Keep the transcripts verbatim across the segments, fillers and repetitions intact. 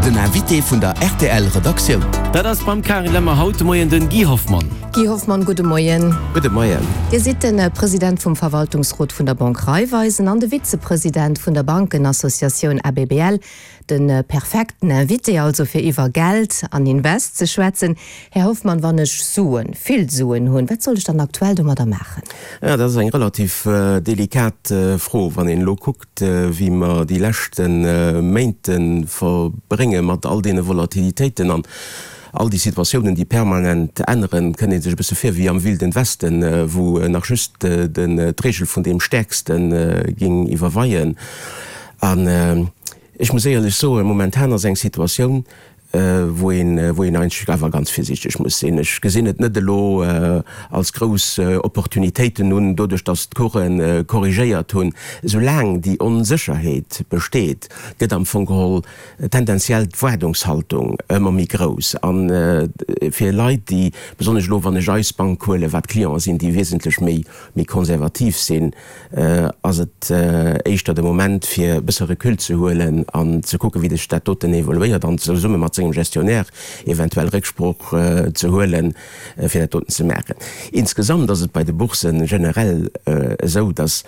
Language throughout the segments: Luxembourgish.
Den Invité vun der R T L Redaktioun. Dat ass beim Karin Lemmer haut de Moien den Guy Hoffmann. Guy Hoffmann, gudde Moien. Gudde Moien. Dir sidd den President vum Verwaltungsrot vun der Bank Raiffeisen an de Vizepresident vun der Bankenassociatioun A B B L. Den perfekten Invité also fir iwwer Geld an Invest ze schwätzen. Här Hoffmann, wann ech Suen, vill Suen hunn, wat soll ech dann aktuell domadder maachen? Ja, dat ass eng relativ äh, delikat äh, Fro, wann een elo kuckt, äh, wéi mer déi leschten äh, Méint verbrénge mat all deene Volatilitéiten an all déi Situatiounen, déi permanent änneren, kënnt ee sech e bësse vir wéi am Wilden Westen, äh, wou äh, nach just äh, den äh, d'Reegel vun deem Stäerksten äh, géing iwwerweien. An äh, ech muss éierlech soen, momentan ass eng Situatioun, äh, wou een, äh, wou een eigentlech awer ganz virsiichteg muss sinn. Ech gesinn et net elo äh, als grouss äh, Opportunitéiten un, doduerch dass d'Coursen äh, korrigéiert hunn. Soulaang déi Onsécherheet besteet, gëtt am Fong geholl äh, tendenziell d'Waardungshaltung ëmmer méi grouss. An äh, fir Leit, déi besonnesch elo wann ech eis Bank huelen, wat Clienten sinn, déi wesentlech méi méi konservativ sinn, äh, ass et äh, éischter de Moment fir bësse Recul ze huelen an ze kucken, wéi sech dat doten evoluéiert an zesumme mat sengem Gestionnaire eventuell Récksprooch äh, ze huelen, äh, fir dat doten ze maachen. Insgesamt ass et bei de Boursen generell äh, esou, dass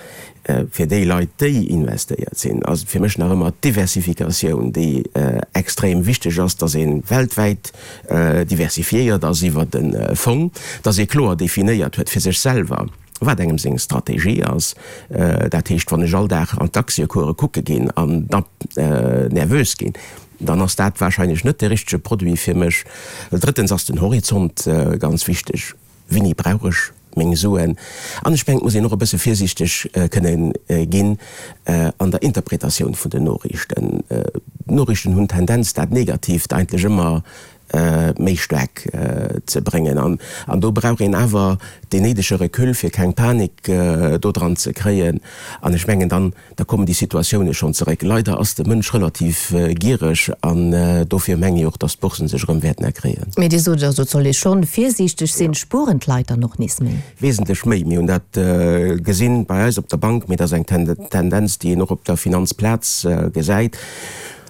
äh, fir déi Leit, déi investéiert sinn, also fir mech nach ëmmer Diversifikatioun, déi äh, extrem wichteg ass, dass een weltwäit äh, diversifiéiert ass iwwer den äh, Fong, dass ee kloer definéiert huet fir sech selwer, wat engem seng Strategie ass, äh, dat heescht, wann ech all Dag an d'Aktiecourse kucke ginn an da äh, nervös ginn, dann ass dat warscheinlech net de richtege Produit fir mech. Drëttens ass den Horizont äh, ganz wichteg. Wéini brauch ech meng Suen? An ech mengen, muss een och e bësse virsiichteg äh, kënnen äh, ginn äh, an der Interpretatioun vun den Noriichten. Äh, Noriichten hunn Tendenz, dat Negatiivt eigentlech ëmmer äh, méi staark äh, ze bréngen. An, an do brauch een awer den néidege Recul fir keng Panik äh, do dran ze kréien. An ech mengen dann, da kommen déi Situatioune schonn zeréck. Leider ass de Mënsch relativ äh, giereg an äh, dofir mengen ech och, dass d'Boursen sech erëm wäerten erkréien. Mee Dir sot also soll ee schonn virsiichteg sinn, ja. Spueren d'Leit dann och nees méi? Wesentlech méi. Mir hunn dat äh, gesinn bei eis op der Bank, mee dat ass eng Tendenz, déi een och op der Finanzplaz äh, gesäit.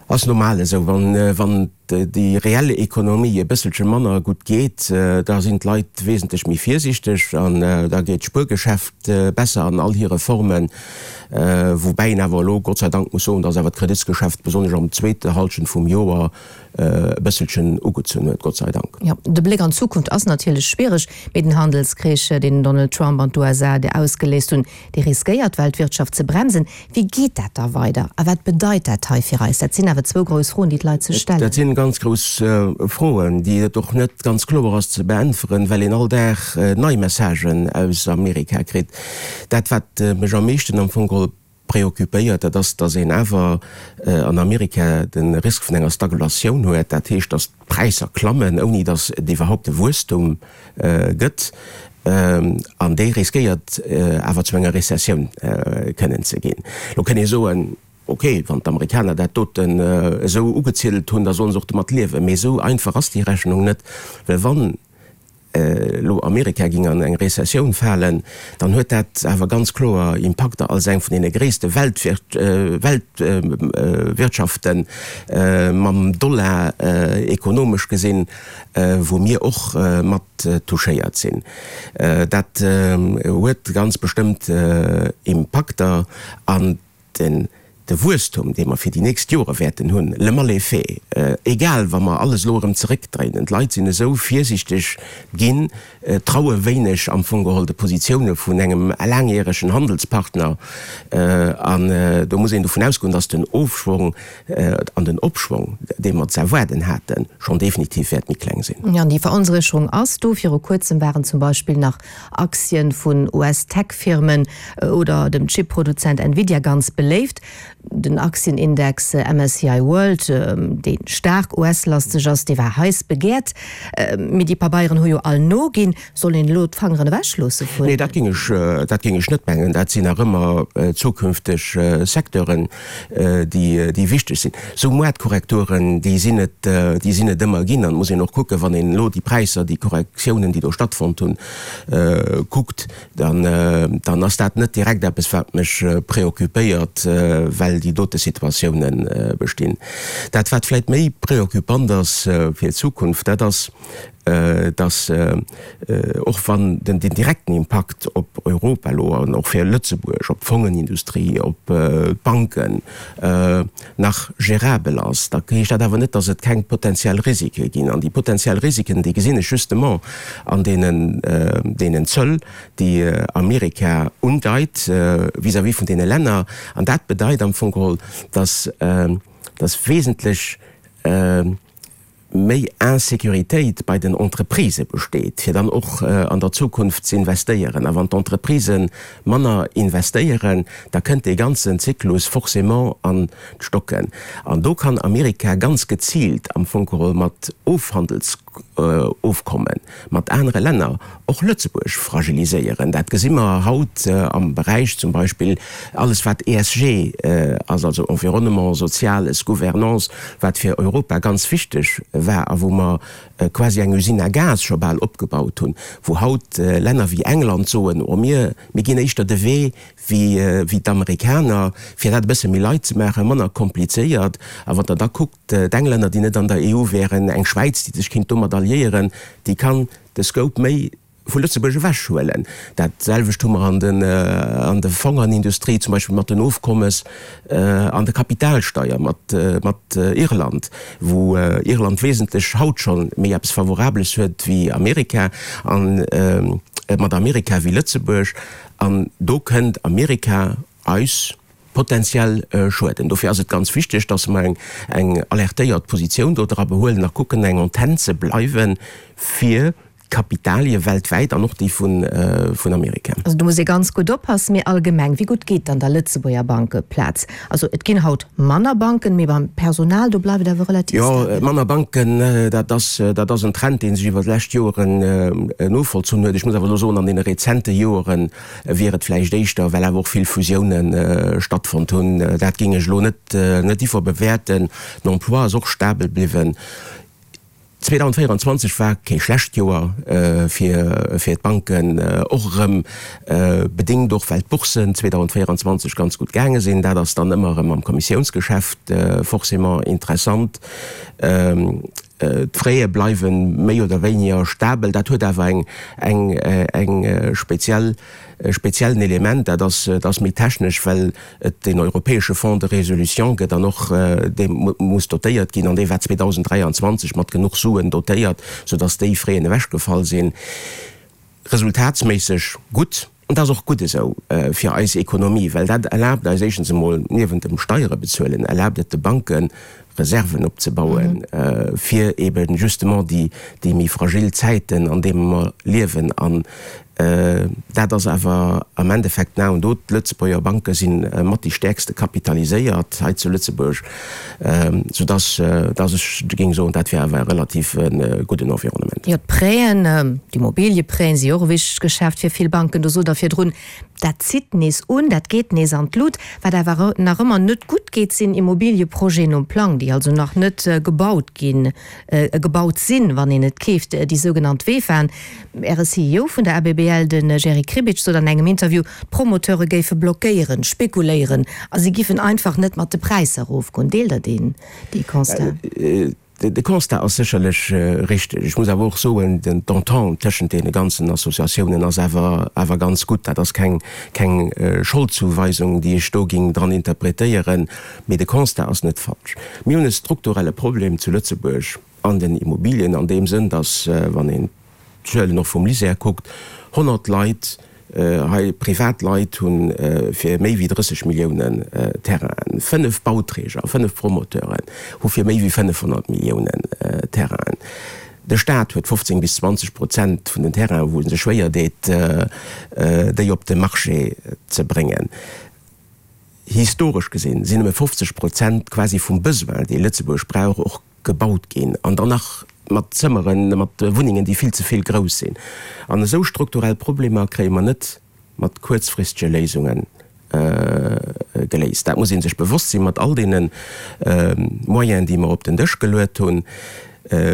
Ass normal esou, wann, äh, wann déi reell Ekonomie e bësselche manner gutt geet, äh, da sinn d'Leit wesentlech méi virsiichteg an äh, da geet d'Spuergeschäft äh, besser an all hire Formen, äh, woubäi een awer elo Gott sei Dank muss soen, dass awer d'Kreditsgeschäft besonnesch am zweete Halschent vum Joer äh, e bësselchen ugezunn huet, Gott sei Dank. Ja, de Bléck an d'Zukunft ass natierlech schwiereg mat den Handelskrich, deen Donald Trump an d'U S A déi ausgeléist hunn, déi riskéiert d'Weltwirtschaft ze bremsen. Wéi geet dat da weider? A wat bedeit dat hei fir eis? Dat sinn awer zwou grouss Froen, déi d'Leit sech stellen. Dat sinn ganz grouss äh, Froen, déi et och net ganz kloer ass ze beäntweren, well een all Dag äh, nei Messagen aus Amerika kritt. Dat wat äh, mech am meeschten am Fong geholl preoccupéiert, dat ass, dass een awer äh, an Amerika den Risk vun enger Stagflatioun huet, dat heescht, dass d'Präisser klammen, ouni dass et iwwerhaapt e Wuesstum äh, gëtt. Ähm, an déi riskéiert äh, awer zu enger Rezessioun äh, kënnen ze ginn. Lo kënnt ee soen, okay, wann d'Amerikaner dat doten äh, esou ugeziedelt hunn, da sollen se och domat liewen. Mee esou einfach ass déi Rechnung net, well wann äh, lo Amerika géing an eng Rezessioun falen, dann huet dat awer ganz kloer Impakter als eng vun deene gréisste Weltwir äh, Weltwirtschaften äh, äh, mam Dollar äh, ekonomesch gesinn, äh, wou mir och äh, mat äh, touchéiert sinn. Äh, dat äh, huet ganz bestëmmt äh, Impakter an den de Wuesstum, dee mer fir déi nächst Jore wäerten hunn, le mal est fait, äh, egal wa mer alles elo erëm zeréckdréinen, d'Leit sinn esou virsiichteg ginn, äh, traue wéineg am Fong geholl de Positioune vun engem laangjäregen Handelspartner äh, an äh, do muss een dovun ausgoen, dass den Ofschwong äh, an den Opschwong, dee mer ze erwaarden haten, schonn definitiv wäert méi kleng sinn. Ja, an déi Veronsécherung ass do. Viru kuerzem waren zum Beispill nach Aktien vun U S-Tech-Firmen äh, oder dem Chipproduzent Nvidia ganz beléift. Den Aktienindex äh, M S C I World, äh, dee staark U S-lasteg ass, dee war heiß begehrt. Äh, mee déi Pabeieren hu jo all noginn. Soll een elo d'Fangeren ewechloosse vun? Nee, dat géing ech, äh, dat géing ech net mengen. Dat sinn nach ëmmer äh, zukünfteg äh, Secteuren, äh, déi, déi wichteg sinn. Sou Moartkorrekturen, déi sinn et, äh, déi sinn et ëmmer ginn. Dann muss een och kucken, wann een elo déi Präisser, déi Korrektiounen, déi do stattfonnt hunn, äh, kuckt, dann, äh, dann ass dat net direkt eppes, wat mech äh, preoccupéiert, äh, well well déi dote Situatiounen bestinn. Dat wat vläicht méi preoccupant ass fir d'Zukunft, dat ass, dass och wann den direkten Impakt op Europa elo an och fir Lëtzebuerg, op d'Fongenindustrie, op d'Banken nach gérabel ass, da heescht dat awer net, dass et keng potenziell Risike ginn. An déi potenziell Risiken, déi gesinn ech justement an deenen, deenen Zöll, déi Amerika undeit vis-à-vis vun deene Länner. An dat bedeit am Fong geholl, dass, dass wesentlech méi Insécuritéit bei den Entreprisë besteet, fir dann och an der Zukunft ze investéieren. A wann d'Entreprisen manner investéieren, da kënnt dee ganzen Zyklus forcément an d'Stocken. An do kann Amerika ganz geziilt am Fong geholl mat Ofhandelsofkommen mat anere Länner och Lëtzebuerg fragiliséieren. Dat gesi mer haut am Beräich zum Beispill alles wat E S G ass, also Environnement, Soziales, Gouvernance, wat fir Europa ganz wichteg war a wou mer quasi eng Usine à gaz scho bal opgebaut hunn, wou haut Länner wéi England soen, oh mir, mir ginn éischter de Wee wéi wéi d'Amerikaner, fir dat e bësse méi light ze maachen, manner komplizéiert. A wann Der da kuckt, d'Englänner, déi net an der E U wären, eng Schwäiz, déi sech kinnt domat alliéieren, déi kann de Scope méi vu Lëtzebuerg ewechhuelen. Dat selwecht hu mer an den an der Fongenindustrie, zum Beispill mat den Ofkommes an der Kapitalsteier mat mat Irland, wou Irland wesentlech haut scho méi eppes Favorabeles huet wéi Amerika an mat Amerika wéi Lëtzebuerg. An do kënnt Amerika eis potenziell schueden. Dofir ass et ganz wichteg, dass mer eng eng alertéiert Positioun do dra behuelen a kucken eng Antenn ze bleiwen fir d'Kapitalie weltwäit an och déi vun vun Amerika. Also do muss ee ganz gutt oppassen. Mee allgemeng, wéi gutt geet dann der Lëtzebuerger Bankeplaz? Also et ginn haut manner Banken, mee beim Personal, do bleift et awer relativ Jo, stabel. Manner Banken, dat ass dat ass en Trend, dee sech iwwer d'lescht Joeren novollzunn huet. Ech muss awer elo soen, an deene rezente Joere wier et vläicht éischter, well awer och vill Fusiounen stattfonnt hunn. Dat géing ech elo net net iwwerbewäerten. Den Emploi ass och stabel bliwwen. zweedausendvéieranzwanzeg war kee schlecht Joer fir fir d'Banken, och erëm bedéngt och well d'Boursen zweedausendvéieranzwanzeg ganz gutt gaange sinn. Dat ass dann ëmmer erëm am Kommissiounsgeschäft forcément interessant. D'Fraie bleiwe méi oder wéiniger stabel. Dat huet awer eng eng eng speziell e speziellen Element, dat ass, dat ass méi technesch, well et deen europäesche Fonds de résolution gëtt an och dee muss dotéiert ginn, an dee war zweedausendräianzwanzeg mat genuch Suen dotéiert, soudass déi Fräen ewechgefall sinn. Resultatsméisseg gutt, an dat ass och gutt esou fir eis Ekonomie, well dat erlaabt eis éischtens emol, niewent dem Steiere bezuelen, erlaabt et de Banken, Reserven opzebauen, fir eben justement déi, déi méi fragil Zäiten, an deene mer liewen. An dat ass awer am Endeffekt den A und O. D'Lëtzebuerger Banke si mat déi stäerkste kapitaliséiert hei zu Lëtzebuerg, soudass dass ech géing soen, dat wier awer e relativ gudden Environnement. Jo, d'Prêten, d'Immobilieprêten si jo och e wichtegt Geschäft fir vill Banken. Do sot Der virdrun, dat zitt nees un, dat geet nees an d'Lut. Wat awer nach ëmmer net gutt geet, sinn Immobilieprojeten nom Plang, déi also nach net gebaut ginn, gebaut sinn, wann een et keeft, déi sougenannt VEFAen. Äre C E O vun der A B B L, de Jerry Kribic, sot an engem Interview, d'Promoteure géife blockéieren, spekuléieren a si giffen einfach net mat de Präisser erofgoen. Deelt Der deen, dee Constat? De Constat ass sécherlech richteg. Ech muss awer och soen, d'Entente tëschent deene ganzen Associatiounen ass awer awer ganz gutt. Dat ass keng keng Scholdzuweisung, déi ech do géing dran interpretéieren, mee de Constat ass net falsch. Mir hunn e strukturelle Problem zu Lëtzebuerg an den Immobilien an deem Sënn, datt, wann een d'Zuelen och vum LISER kuckt, honnert Leit, hei privat Leit hu fir méi wéi drësseg Milliounen Terrainen, fënnef Bauträger, fënnef Promoteuren hu fir méi wéi fënnefhonnert Milliounen Terrainen. De Staat huet fofzéng bis zwanzeg Prozent vun den Terrainen, wou e sech schwéier deet, déi op de Marché ze bréngen. Historesch gesinn sinn nëmme fofzeg Prozent quasi vum Besoin, dee Lëtzebuerg brauch, och gebaut ginn, an dann nach mat Zëmmeren, mat Wunnengen, déi vill ze vill grouss sinn. An esou strukturell Problemer kréie mer net mat kuerzfristege Léisunge geléist. Dat muss ee sech bewosst sinn. Mat all deene Moyenen, déi mer op den Dësch geluet hunn,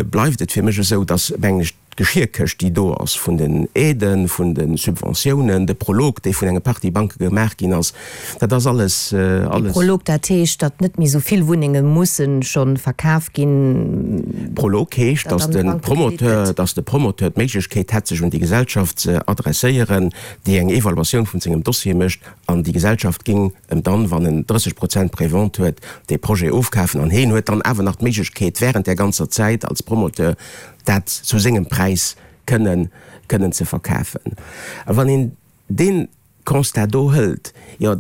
bleift et fir mech esou, dass, mengen ech, d'Geschierkëscht, déi do ass vun den Aiden, vun de Subventiounen, de Prolog, dee vun enger Partie Banke gemaach ginn ass, dat ass alles, alles. Prolog, dat heescht, datt net méi esou vill Wunnenge mussen scho verkaf ginn. Prolog heescht, datt de Promoteur, datt de Promoteur d'Méiglechkeet hätt, sech un déi Gesellschaft ze adresséieren, déi eng Evaluatioun vun sengem Dossier mécht, an déi Gesellschaft géing em dann, wann en drësseg Prozent Prévente huet, dee Projet ofkafen. An heen huet dann awer nach d'Méiglechkeet, während där ganzer Zäit als Promoteur dat zu sengem Präis kënnen, kënnen ze verkafen. A wann een dee Constat do hëlt, jo,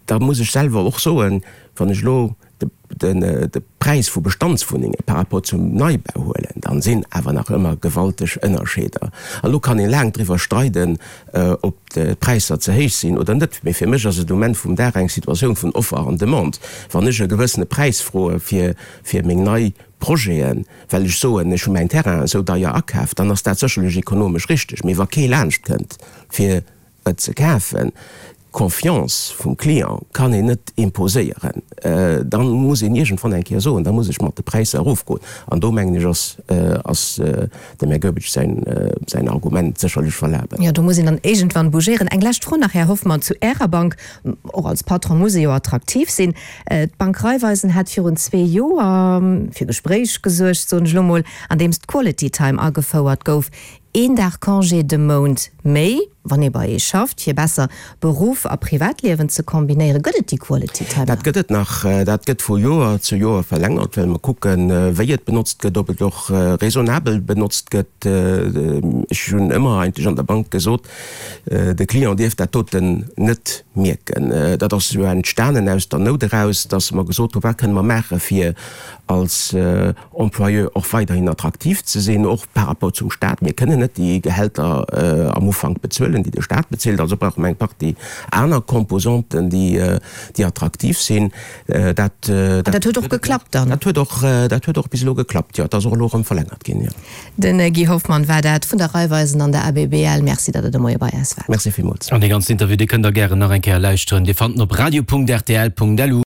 da muss ech selwer och soen, wann ech elo de, den, de Präis vu Bestandswunnenge par rapport zum Neibau huelen, dann sinn awer nach ëmmer gewalteg Ënnerscheeder. An elo kann ee laang driwwer streiden, ob d'Präisser ze héich sinn oder net, mee fir mech ass et um Enn vum Dag eng Situatioun vun Offer an Demande. Wann ech e gewëssene Präis froe fir, fir meng nei Projeten, well ech soen, ech hu mäin Terrain esou deier akaf, dann ass dat sécherlech ekonomesch richteg. Mee wa kee laanscht kënnt, fir et ze kafen, d'Confiance vum Client kann een net imposéieren, da muss een iergendwann eng Kéier soen, da muss ech mat de Präisser erofgoen. An do, mengen ech, ass, ass dem Här Goebbels säin, säin Argument sécherlech valabel. Jo, do muss een dann iergendwann bougéieren. Eng lescht Fro nach, Här Hoffmann, zu Ärer Bank. Och als Patron muss ee jo attraktiv sinn. D'Bank Raiffeisen hat virun zwee Joer fir Gespréich gesuergt, soen ech elo mol, andeems d'Quality Time agefouert gouf. Een Dag Congé de Mount méi, wann ee bei ee schafft, fir besser Beruff a Privatliewen ze kombinéieren. Gëtt et déi Quality Time nach? Dat gëtt et nach. Dat gëtt vu Joer zu Joer verlängert, well mer kucken, wéi et benotzt gëtt, ob et och raisonnabel benotzt gëtt. Ech hunn ëmmer eigentlech an der Bank gesot, de Client dierf dat doten net mierken. Dat ass jo entstanen aus der Nout eraus, dass mer gesot hunn, wat kënne mer maache fir als Employeur och weiderhin attraktiv ze sinn, och par rapport zum Stat. Mir kënnen net déi Gehälter am Ufank bezuelen, déi de Stat bezilt. Also brauche mer eng Partie aner Composanten, déi attraktiv sinn. Dat An dat huet och geklappt dann? Dat huet och, dat huet och bis elo geklappt, jo. Et ass och elo erëm verlängert ginn, jo. De Guy Hoffmann war dat vun der Raiffeisen an der A B B L. Merci, datt Der de Moie bei eis waart. Merci villmools. An dee ganzen Interview, dee kënnt Der gären nach eng Kéier lauschteren. Dir fannt en op radio punkt rtl punkt lu.